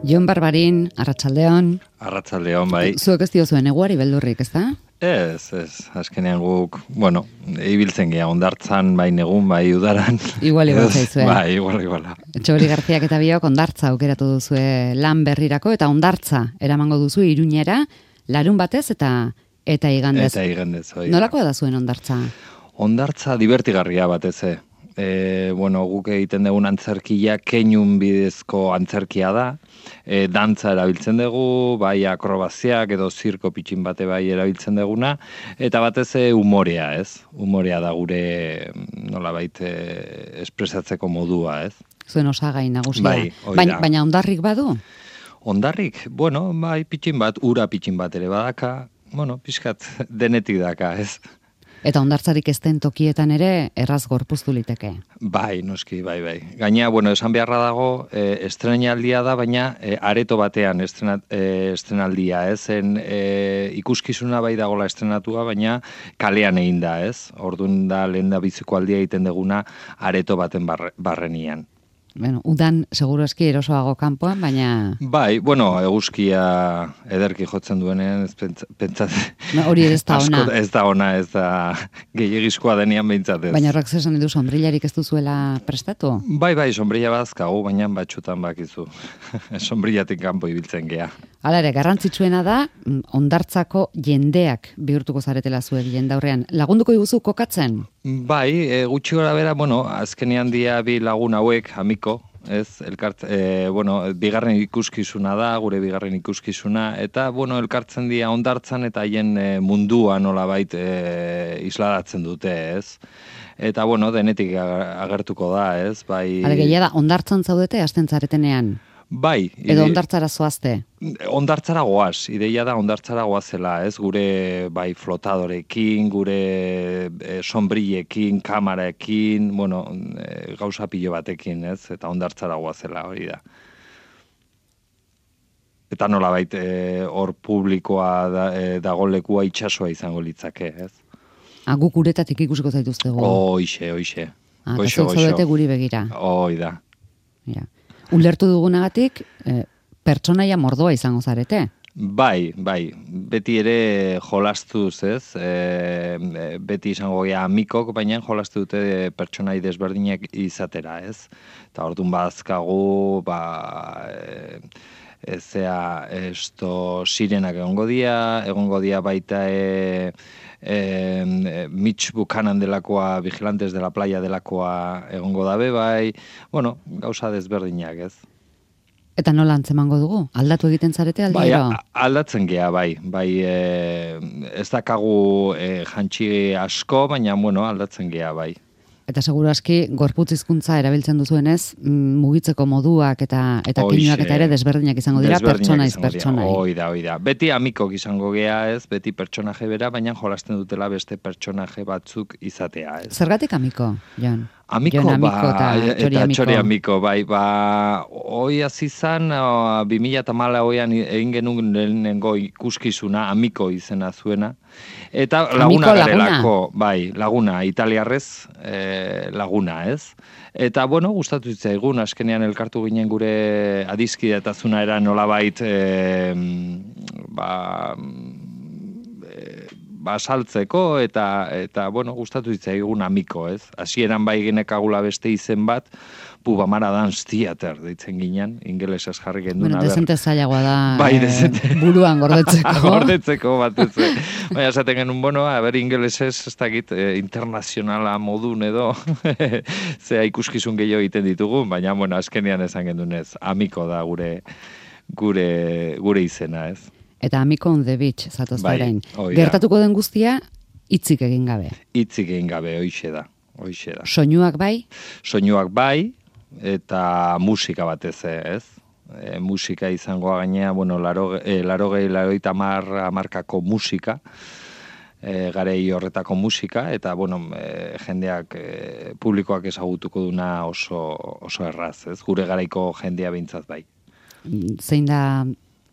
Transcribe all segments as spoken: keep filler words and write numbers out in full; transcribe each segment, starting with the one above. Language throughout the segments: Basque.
Jon Barbarin, arratsaldeon. Arratsaldeon, bai. Zuek ez diozuen eguari beldurrik, ez da? Ez, ez, azkenean guk, bueno, ibiltzen gea, ondartzan, bai negun, bai udaran. Igual igual zaizue. Bai, igual iguala. Txobeli Garziak eta biok ondartza aukeratu duzue lan berrirako, eta ondartza eramango duzu Iruñera, larun batez eta eta igandez. Eta igandez, oi. Nolakoa da zuen ondartza? Ondartza divertigarria batez, e. E, bueno, guk egiten dugun antzerkia keinun bidezko antzerkia da, e, dantza erabiltzen dugu, bai akrobaziak edo zirko pitxin bate bai erabiltzen duguna, eta batez e, umorea, ez? Umorea da gure nolabait e, espresatzeko modua, ez? Zuen osagai nagusia. Bai, baina, baina ondarrik badu? Ondarrik, bueno, bai pitxin bat, ura pitxin bat ere badaka, bueno, pixkat denetik daka, ez? Eta ondartzarik ez den tokietan ere erraz gorpuztu liteke. Bai, noski, bai, bai. Gaina, bueno, esan beharra dago, e, estrenaldia da, baina e, areto batean estrenat, e, estrenaldia, ez? En, e, ikuskizuna bai dagola estrenatua, baina kalean egin da, ez? Orduan da, lehen da biziko aldia egiten deguna areto baten barre, barrenian. Bueno, udan seguro eski erosoago kanpoan, baina... Bai, bueno, eguzkia ederki jotzen duenean, ez pentsatzen... No, hori ez da ona. Ez da ona, ez da gehiagizkoa denean behintzatez. Baina horrek zesan edu sombrillarik ez duzuela prestatu? Bai, bai, sombrilla badazkagu, baina batxutan bakizu. Sombrillatik kanpo ibiltzen gea. Hala ere, garrantzitsuena da, ondartzako jendeak bihurtuko zaretela zuek jendaurrean. Lagunduko diguzu kokatzen? Bai, e, gutxi gora bera, bueno, azkenean dia bi lagun hauek, amiko, ez, elkart, e, bueno, bigarren ikuskizuna da, gure bigarren ikuskizuna, eta, bueno, elkartzen dira ondartzan eta haien e, mundua nolabait e, isladatzen dute, ez. Eta, bueno, denetik agertuko da, ez, bai... Hale, gehiago da, ondartzan zaudete, hasten zaretenean? Bai. Edo ondartzara zoazte? Ondartzara goaz, ideia da ondartzara goazela, ez, gure bai flotadorekin, gure e, sombrillekin, kamaraekin, bueno, e, gauza pilo batekin, ez, eta ondartzara goazela hori da. Eta nolabait hor e, publikoa da, e, dagolekua itsasoa izango litzake, ez. Ah, guk uretatik ikusiko zaituztego. Oixe, oixe. Ah, eta zaudete guri begira. Oi da. Ja. Ulertu dugunagatik, eh, pertsonaia mordoa izango zarete? Bai, bai. Beti ere jolastuz, ez? E, beti izango gea amikok, baina jolastu dute pertsonai desberdinak izatera, ez? Eta orduan bazkagu, ba... E, ezea, esto sirenak egongo dia, egongo dia baita e, e, Mitch Buchanan delakoa, Vigilantes de la Playa delakoa egongo dabe, bai, bueno, gauza desberdinak, ez. Eta nola antzemango dugu? Aldatu egiten zarete aldiero? Bai, aldatzen gea, bai, bai, e, ez dakagu e, jantxi asko, baina, bueno, aldatzen gea, bai. Eta seguru aski, gorputz hizkuntza erabiltzen duzuenez, mugitzeko moduak eta eta keinuak eta ere desberdinak izango dira, pertsonaiz pertsonai. Hoi da, hoi da. Beti amikok izango gea, ez, beti pertsonaje bera, baina jolasten dutela beste pertsonaje batzuk izatea, ez. Zergatik amiko, Jon? Amiko, Jon amiko ba, eta eta txori amiko, bai, ba, hoi azizan, bi mila eta mala hoian egin genuen lehenengo ikuskizuna, amiko izena zuena, eta laguna garelako, bai, laguna, italiarrez e, laguna, ez? Eta, bueno, gustatu zitzaigun, askenean elkartu ginen gure adiskidetasuna era nolabait, e, ba, basaltzeko eta eta bueno, gustatu zitzaigun amiko, ez? Hasieran bai genekagula beste izen bat, Pubamara Dance Theater deitzen ginen, ingelesez jarri genduna. Bueno, dezente zailagoa da, bai, dezente. Eh, buruan gordetzeko. gordetzeko batez. Baina esaten genuen, bueno, a ber, ingelesez ez dakit eh, internazionala modun edo zea ikuskizun gehiago egiten ditugu, baina bueno, azkenean esan gendunez, amiko da gure gure gure izena, ez? Eta amiko on the beach, zatoz bai, orain. Gertatuko den guztia, hitzik egin gabe. Hitzik egin gabe, hoixe da. Hoixe da. Soinuak bai? Soinuak bai, eta musika batez, ez? E, musika izangoa gainea, bueno, laro, e, laro gehi, laroita mar, amarkako musika, e, garei horretako musika, eta, bueno, e, jendeak, e, publikoak ezagutuko duna oso, oso erraz, ez? Gure garaiko jendea behintzat bai. Zein da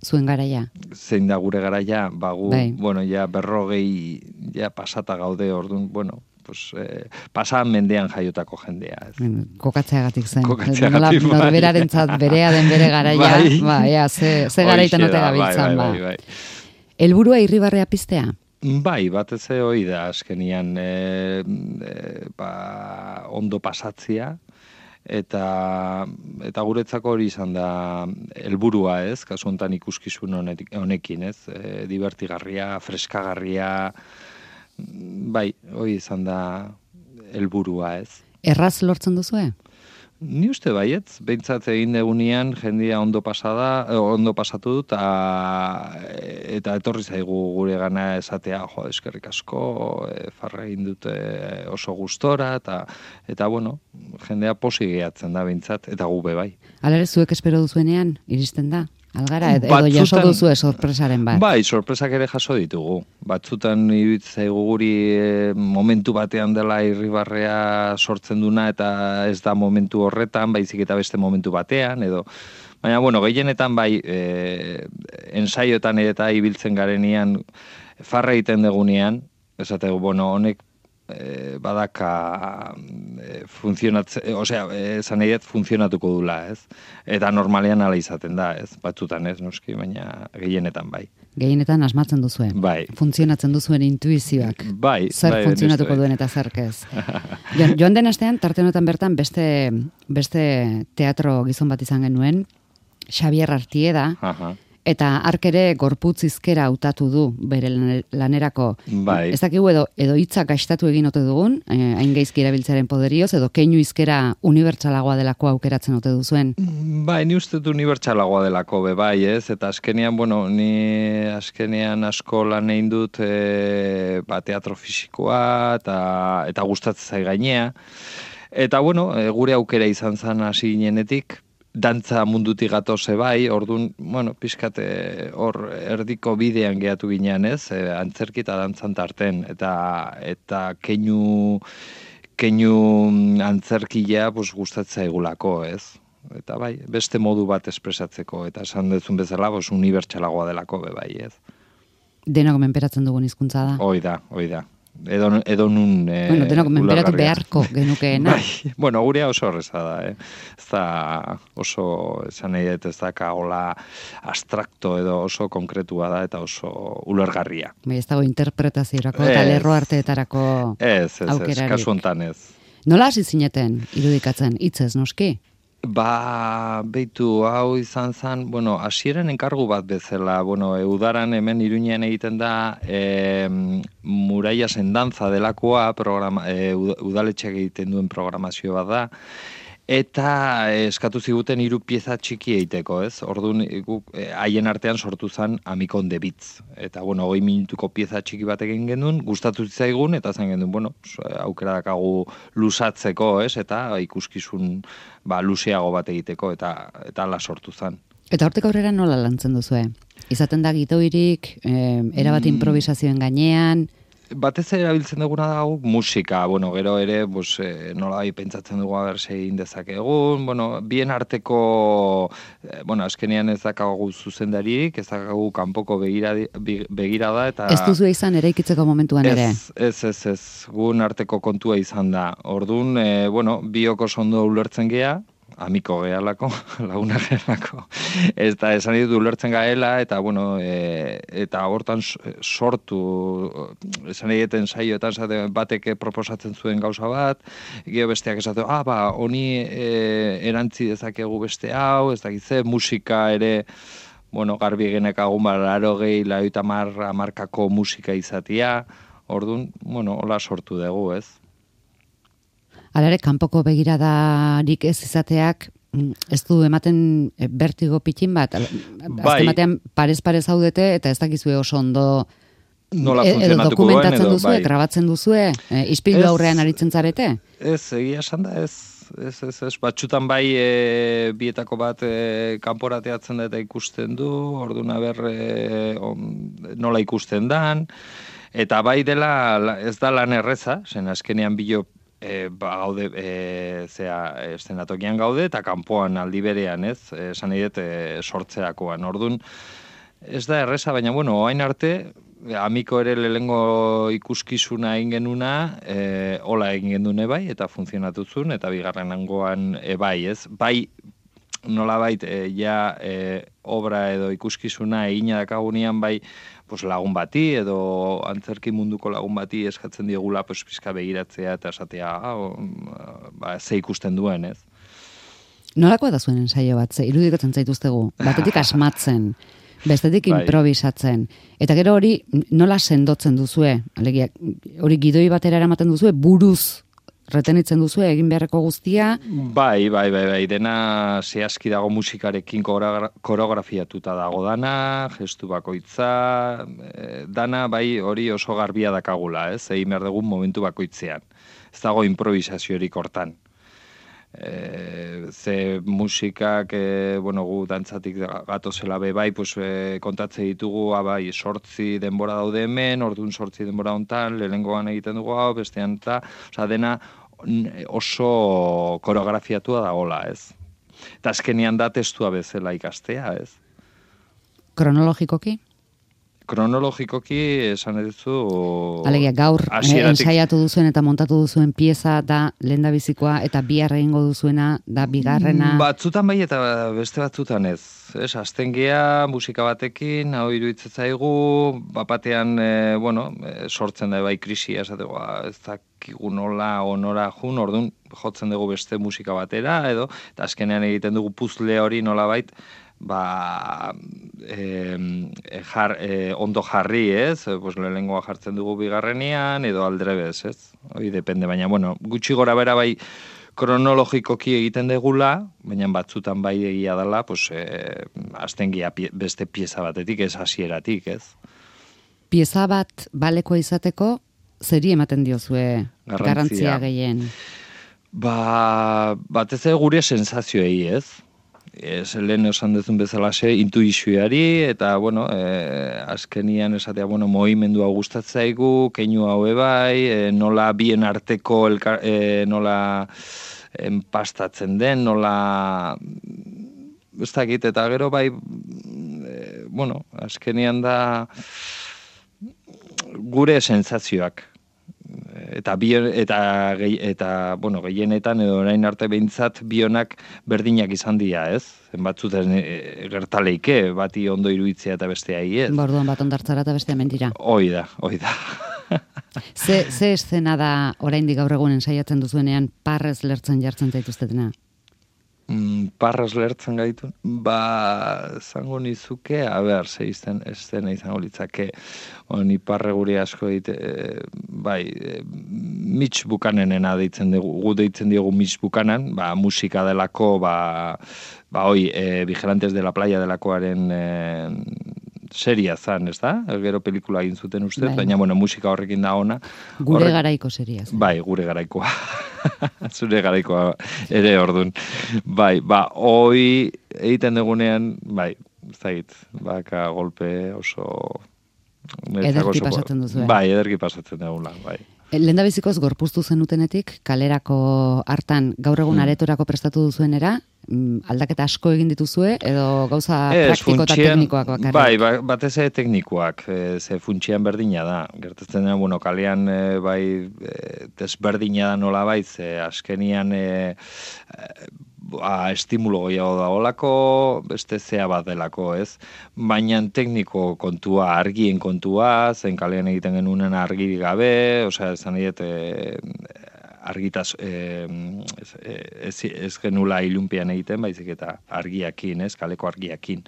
zuen garaia? Zein da gure garaia, bagu, bai. bueno, ja berrogei ja pasata gaude, orduan, bueno, pues, eh, pasan mendean jaiotako jendea. Ez. Kokatzeagatik zen. Kokatzeagatik, Nola, norberarentzat berea den bere garaia, bai. ba, ea, ze, ze garaitan ote gabiltzan, bai, bai, bai, bai. Helburua Irribarrea piztea? Bai, batez ere hori da, azkenian, e, e, ba, ondo pasatzia, eta eta guretzako hori izan da helburua, ez? Kasu honetan ikuskizun honekin, ez? E, divertigarria, freskagarria, bai, hori izan da helburua, ez? Erraz lortzen duzue? Ni uste baietz, behintzat egin degunean jendia ondo pasada, ondo pasatu dut, eta etorri zaigu gure gana esatea, jo, eskerrik asko, e, farra egin dute oso gustora, eta, eta bueno, jendea posi gehatzen da behintzat, eta gube bai. Alare, zuek espero duzuenean, iristen da? Algara, edo Batzutan, jaso duzue sorpresaren bat? Bai, sorpresak ere jaso ditugu. Batzutan iruditzen zaigu guri e, momentu batean dela Irribarrea sortzen duna eta ez da momentu horretan, baizik eta beste momentu batean, edo... Baina, bueno, gehienetan bai, e, ensaiotan eta ibiltzen garenean, farra egiten degunean, esategu, bueno, honek E, badaka e, funtzionatze, e, osea, esan e, funtzionatuko dula, ez? Eta normalean ala izaten da, ez? Batzutan ez, noski, baina gehienetan bai. Gehienetan asmatzen duzuen. Bai. Funtzionatzen duzuen intuizioak. Bai. Zer bai, funtzionatuko duen eta zerkez. Jo, joan den astean, tarte honetan bertan, beste, beste teatro gizon bat izan genuen, Xabier Artieda, Aha. Eta hark ere gorputz hizkera hautatu du bere lanerako. Bai. Ez dakigu edo edo hitzak gastatu egin ote dugun, eh, hain gaizki erabiltzaren poderioz, edo keinu hizkera unibertsalagoa delako aukeratzen ote duzuen. Bai, ni uste dut unibertsalagoa delako be bai, ez? Eta azkenean, bueno, ni azkenean asko lan egin dut e, ba, teatro fisikoa eta eta gustatzen zai gainea. Eta bueno, e, gure aukera izan zen hasi ginenetik, dantza mundutik gatoze bai, orduan, bueno, pixkate hor erdiko bidean gehatu ginean, ez? E, antzerki eta dantzan tarten, eta eta keinu keinu antzerkia pues gustatzen zaigulako, ez? Eta bai, beste modu bat espresatzeko, eta esan dezun bezala, pues unibertsalagoa delako be bai, ez? Denok menperatzen dugun hizkuntza da. Hoi da, hoi da. Edo, edo nun... E, bueno, denok menperatu beharko genukeena. Bai, bueno, gurea oso horreza da, eh? Ez da oso, esan nahi dut, ez da kagola abstrakto edo oso konkretua da eta oso ulergarria. Bai, ez dago interpretaziorako eta lerro arteetarako aukerarik. Ez, ez, aukerarik. ez, kasu hontan ez. Nola hasi zineten irudikatzen, hitzez noski? Ba, beitu, hau izan zen, bueno, hasieran enkargu bat bezala, bueno, e, udaran hemen Iruñean egiten da e, Muraia Sendantza delakoa, programa, e, udaletxeak egiten duen programazio bat da, eta eskatu ziguten hiru pieza txiki egiteko, ez? Orduan, guk haien artean sortu zen Amikon de Bitz. Eta, bueno, hogei minutuko pieza txiki bat egin genuen, gustatu zitzaigun, eta zen genuen, bueno, aukera dakagu lusatzeko, ez? Eta ikuskizun ba, luzeago bat egiteko, eta eta ala sortu zen. Eta hortik aurrera nola lantzen duzue? Izaten da gitoirik, eh, erabat improvisazioen gainean... Batez erabiltzen duguna da guk musika, bueno, gero ere, pues, eh, nola bai pentsatzen dugu aberse egin dezakegun, bueno, bien arteko, eh, bueno, azkenean ez dakagu zuzendaririk, ez dakagu kanpoko begirada, begirada, eta... Ez duzu izan eraikitzeko momentuan ere? Ez, ez, ez, ez, gun arteko kontua izan da. Orduan, eh, bueno, bioko ondo ulertzen gea, amiko gehalako, laguna gehalako, eta esan ditut ulertzen gaela, eta bueno, e, eta hortan sortu, esan egiten saioetan zate, bateke proposatzen zuen gauza bat, gero besteak esatu, ah, ba, honi e, erantzi dezakegu beste hau, ez dakitze, musika ere, bueno, garbi genekagun, ba, laro gehi, laioita markako musika izatia, orduan, bueno, hola sortu dugu, ez? Alare, kanpoko begiradarik ez izateak, ez du ematen bertigo pitxin bat? Bai. Azken batean parez-parez haudete, eta ez dakizue oso ondo nola e, edo funtzionatuko dokumentatzen duen, edo, duzue, bai. grabatzen duzue, e, ispilu aurrean aritzen zarete? Ez, egia esan da, ez, ez, ez, ez, batxutan bai e, bietako bat e, kanporateatzen da eta ikusten du, orduan ber e, on, nola ikusten dan, eta bai dela, ez da lan erreza, zen azkenean bilo E, ba, gaude, e, zera, estenatokian gaude, eta kanpoan aldi berean, ez, esan nahi dut, e, sortzerakoan. Orduan, ez da erreza, baina, bueno, oain arte, amiko ere lehengo ikuskizuna egin genuna, e, hola egin gendune bai, eta funtzionatu zuen, eta bigarren angoan e, bai, ez? Bai, nolabait, e, ja e, obra edo ikuskizuna egina dakagunean bai, pues, lagun bati, edo antzerki munduko lagun bati eskatzen diegula, pues, pizka begiratzea, eta esatea, ah, ba, ze ikusten duen, ez? Nolakoa da zuen ensaio bat, ze irudikatzen zaituztegu, batetik asmatzen, bestetik Bai. improvisatzen. Eta gero hori nola sendotzen duzue? Alegia, hori gidoi batera eramaten duzue, buruz retenitzen duzue egin beharreko guztia? Bai, bai, bai, bai, dena zehazki dago musikarekin koreografiatuta dago dana, gestu bakoitza, e, dana bai hori oso garbia dakagula, ez? Egin behar dugun momentu bakoitzean. Ez dago improvisaziorik hortan. E, ze musikak, e, bueno, gu dantzatik gatozela be bai, pues, e, kontatze ditugu, ah, bai, sortzi denbora daude hemen, orduan sortzi denbora hontan, lehenengoan egiten dugu hau, bestean eta, osea, dena oso koreografiatua dagola, ez? Eta azkenian da testua bezala ikastea, ez? Kronologikoki? Kronologikoki esan eduzu... Alegia, gaur hasieratik... ensaiatu duzuen eta montatu duzuen pieza da lehendabizikoa eta bihar egingo duzuena da bigarrena... Batzutan bai eta beste batzutan ez. Ez, azten gea, musika batekin, hau iruditzen zaigu, bapatean, e, bueno, e, sortzen da bai krisia, esateko, ez dakigu nola, onora jun, orduan jotzen dugu beste musika batera, edo, eta azkenean egiten dugu puzle hori nola bait, ba, e, jar, e, ondo jarri, ez? Pues lehenengoa jartzen dugu bigarrenean, edo aldrebez, ez? Hoi depende, baina, bueno, gutxi gora bera bai kronologikoki egiten degula, baina batzutan bai egia dela, pues, e, aztengia pie, beste pieza batetik, ez hasieratik, ez? Pieza bat baleko izateko, zeri ematen diozue garrantzia, garrantzia gehien? Ba, batez ere gure sensazioei, ez? Ez, lehen esan duzun bezalaxe, intuizioari, eta, bueno, e, azkenian esatea, bueno, mohimendua gustatzaigu, keinu hau bai, e, nola bien arteko, elka, e, nola enpastatzen den, nola... Ez dakit, eta gero bai, e, bueno, azkenian da gure sensazioak. Eta bion, eta eta bueno, gehienetan edo orain arte behintzat bionak berdinak izan dira, ez? Batzuten e, gertaleike, bati ondo iruditzea eta bestea hi, ez? Borduan bat ondartzara eta bestea mentira. Hoi da, hoi da. ze, ze eszena da oraindik gaur egun ensaiatzen duzuenean parrez lertzen jartzen zaituztetena? Mm, parrez lertzen gaitu? Ba, zango nizuke, a ber, ze izten, estena izango litzake, ni parre guri asko dite, e, bai, e, mitx bukanenena deitzen dugu, gu deitzen diogu mitx bukanan, ba, musika delako, ba, ba, hoi, e, Vigilantes de la Playa delakoaren e, seria zan, ez da? Gero pelikula egin zuten uste, bai. Baina, bueno, musika horrekin da ona. Gure Horre... garaiko seria zan. Bai, gure garaikoa. Zure garaikoa ere ordun. Bai, ba, hoi egiten dugunean, bai, ez dakit, baka golpe oso... Ederki oso, pasatzen duzu, eh? Bai, ederki pasatzen dugula, bai. Lehendabizikoz gorpuztu zenutenetik, kalerako hartan gaur egun hmm. aretorako prestatu duzuenera, aldaketa asko egin dituzue, edo gauza es, praktiko eta teknikoak bakarrik? Bai, ba, batez ere teknikoak, e, ze funtsian berdina da. Gertatzen da, bueno, kalean e, bai e, desberdina da nola bai, ze askenian e, e, ba, estimulo gehiago da olako, beste zea bat delako, ez? Baina tekniko kontua, argien kontua, zen kalean egiten genunen argirik gabe, osea, esan diet, e, argitaz, e, ez, ez, ez genula ilunpian egiten, baizik eta argiakin, ez? Kaleko argiakin.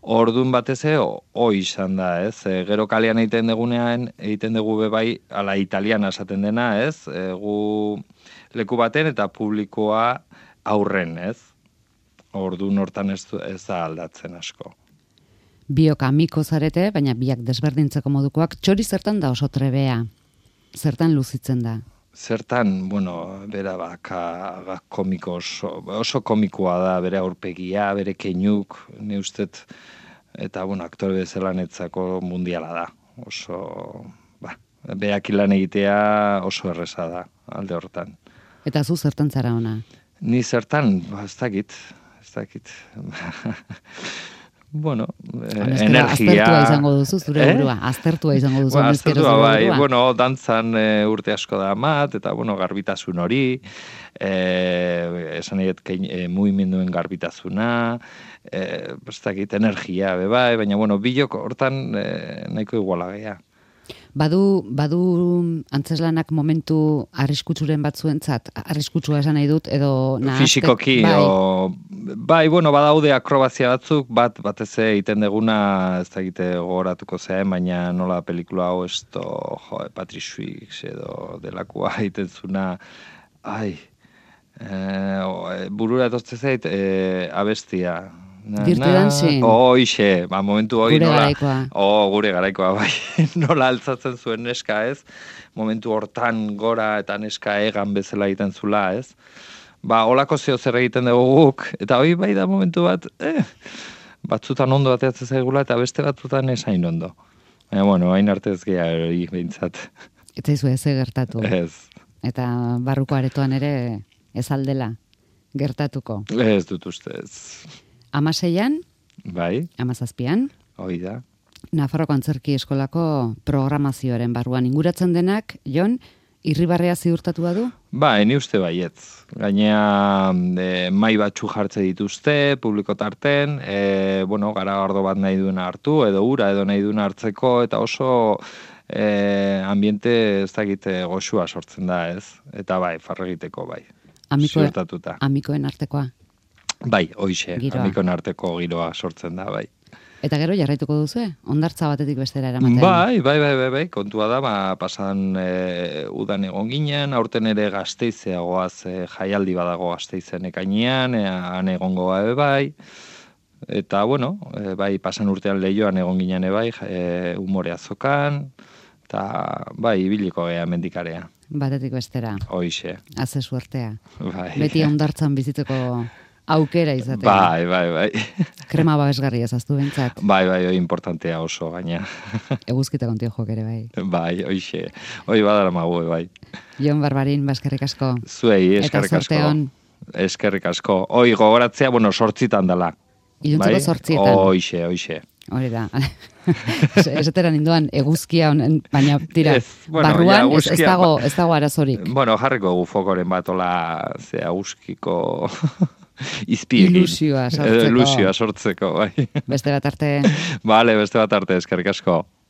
Ordun batez ere, hoi izan da, ez? E, gero kalean egiten dugunean, egiten dugu bebai, ala italiana esaten dena, ez? E, gu leku baten eta publikoa aurren, ez? Ordun hortan ez, ez da aldatzen asko. Biok amiko zarete, baina biak desberdintzeko modukoak, txori zertan da oso trebea? Zertan luzitzen da? Zertan, bueno, bera baka komiko oso, oso komikoa da, bere aurpegia, bere keinuk, ne ustet, eta, bueno, aktore bezala netzako mundiala da. Oso, ba, beak ilan egitea oso erreza da, alde hortan. Eta zu zertan zara ona? Ni zertan, ba, ez dakit, ez dakit. bueno, Honezkera, energia... Aztertua izango duzu, zure eh? burua. Aztertua izango duzu, bueno, honezkero aztertua, zure bai, burua. bueno, dantzan e, urte asko da mat, eta, bueno, garbitasun hori, e, esan eget, e, mugimenduen garbitazuna, e, ez dakit, energia, be bai, baina, bueno, bilok hortan e, nahiko iguala geha. Badu, badu antzeslanak momentu arriskutsuren batzuentzat, arriskutsua esan nahi dut, edo nahaztek, Fisikoki, bai. O, bai, bueno, badaude akrobazia batzuk, bat, batez egiten deguna, ez da egite gogoratuko zean, baina nola pelikula hau esto, jo, Patrick Swayze edo delakoa egiten zuna, ai, e, burura etozte zait, e, abestia, Na, Dirty Dancing. Hoixe, ba, momentu hoi gure nola... garaikoa. Oh, gure garaikoa, bai. Nola altzatzen zuen neska, ez? Momentu hortan gora eta neska egan bezala egiten zula, ez? Ba, holako zeo zer egiten dugu guk, eta hoi bai da momentu bat, eh, batzutan ondo bateatzen zaigula, eta beste batzutan esain ondo. Baina, bueno, hain arte ez geha hori behintzat. Eta izu ez gertatu. Ez. Eta barruko aretoan ere ez aldela gertatuko. Ez dut ustez. Amaseian, bai, amazazpian, hoi da. Nafarroko Antzerki Eskolako programazioaren barruan inguratzen denak, Jon, irribarrea ziurtatua du? Ba, eni uste baietz. Gainea e, mai batzu jartze dituzte, publiko tarten, e, bueno, gara ardo bat nahi duena hartu, edo ura, edo nahi duena hartzeko, eta oso e, ambiente ez dakite goxua sortzen da, ez? Eta bai, farregiteko bai. Amiko, ziurtatuta. Amikoen artekoa. Bai, hoixe, Giroa. amikon arteko giroa sortzen da, bai. Eta gero jarraituko duzu, hondartza batetik bestera eramaten. Bai, bai, bai, bai, bai, kontua da, ba, pasan e, udan egon ginen, aurten ere Gasteizeagoaz e, jaialdi badago Gasteizen ekainean, e, han egongo bai, bai, eta, bueno, e, bai, pasan urtean lehioan egon ginen e, bai, e, umore azokan, eta, bai, ibiliko gea mendikarea. Batetik bestera. Hoixe. Haze suertea. Bai. Beti hondartzan bizitzeko aukera izatea. Bai, bai, bai. Krema babesgarria ezaztu bentsat. Bai, bai, oi importantea oso, gaina. Eguzkita kontio jok ere, bai. Bai, oixe. Oi badara magu, bai. Jon Barbarin, baskerrik asko. Zuei, eskerrik Eta asko. zorte hon. Eskerrik asko. Oi, gogoratzea, bueno, sortzitan dela. Iluntzeko bai? sortzietan. Oixe, oixe. Hori da. Esatera ninduan eguzkia honen, baina tira, Ez, bueno, barruan ja, ez, ez, eguzkia- dago, ez dago arazorik. Bueno, jarriko gu fokoren bat, ola, ze aguzkiko izpiekin. Ilusioa sortzeko. Ilusioa sortzeko, bai. Beste bat arte. Vale, beste bat arte, eskerrik asko.